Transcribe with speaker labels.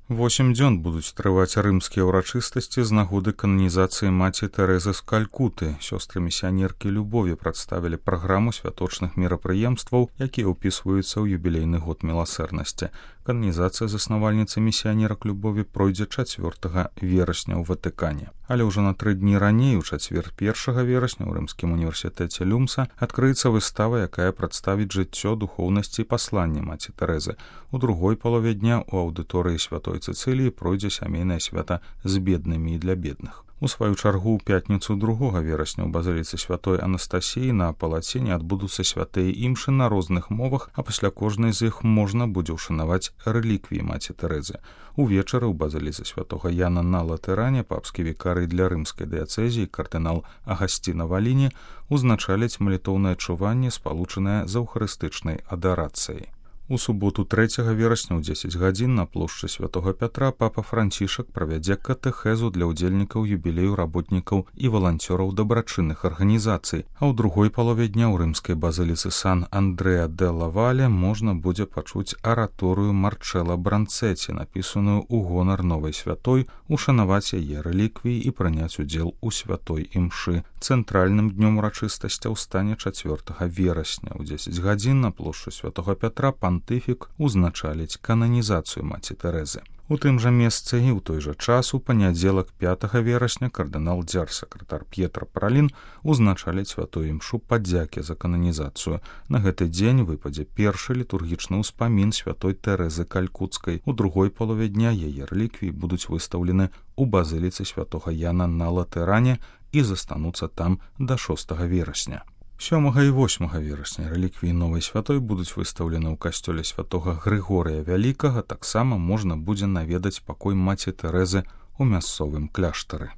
Speaker 1: 8 дзён будуць трываць рымскія ўрачыстасці з нагоды кананізацыі маці Тэрэзы з Калькуты. Сёстры місіянеркі любові прадставілі праграму святочных мерапрыемстваў, якія ўпісваюцца ў юбілейны год міласэрнасці. Кананізацыя заснавальніцы місіянерак любові пройдзе 4 верасня ў Ватыкане. Але ўжо на 3 дні раней, у чацвер 1 верасня ў Рымскім універсітэце Люмса адкрыецца выстава, якая прадставіць жыццё, духоўнасці і пасланне маці Тэрэзы. У другой палове дня ў аўдыторыі Святой Цэцыліі пройдзе сямейнае свята з беднымі і для бедных. У сваю чаргу ў пятніцу 2 верасня ў базыліцы Святой Анастасіі на палаціне адбудуцца святыя імшы на розных мовах, а пасля кожнай з іх можна будзе ўшанаваць рэліквіі маці Тэрэзы. Увечары ў базыліцы Святога Яна на Латэране папскі вікарый для рымскай дыяцэзіі кардынал Агасціна Валіні узначаліць малітоўнае чуванне, спалучанае з эўхарыстычнай адарацыяй. У суботу 3 верасня ў 10 гадзін на плошчы Святога Пятра папа Францішак правядзе катэхезу для ўдзельнікаў юбілею работнікаў і валанцёраў дабрачынных арганізацый, а ў другой палове дня ў рымскай базыліцы Сан-Андрэа де Лавале можна будзе пачуць араторыю Марчэла Бранцэці, напісаную ў гонар новай святой, ушанаваць яе рэліквіі і прыняць удзел у святой імшы. Цэнтральным днём урачыстасцяў стане 4 верасня ў 10 гадзін на плошчы Святога Пятра пантыфік узначаліць кананізацыю маці Тэрэзы. У тым жа месцы і ў той жа час у панядзелак 5 верасня кардынал дзярж-сакратар П'етра Паралін узначаліць святую імшу падзякі за кананізацыю. На гэты дзень выпадзе першы літургічны ўспамін святой Тэрэзы Калькуцкай. У другой палове дня яе рэліквіі будуць выстаўлены ў базыліцы Святога Яна на Латэране і застануцца там да 6 верасня. 7 і 8 верасня рэліквіі новай святой будуць выстаўлены ў касцёле святога Грыгорыя Вялікага, таксама можна будзе наведаць пакой маці Тэрэзы ў мясцовым кляштары.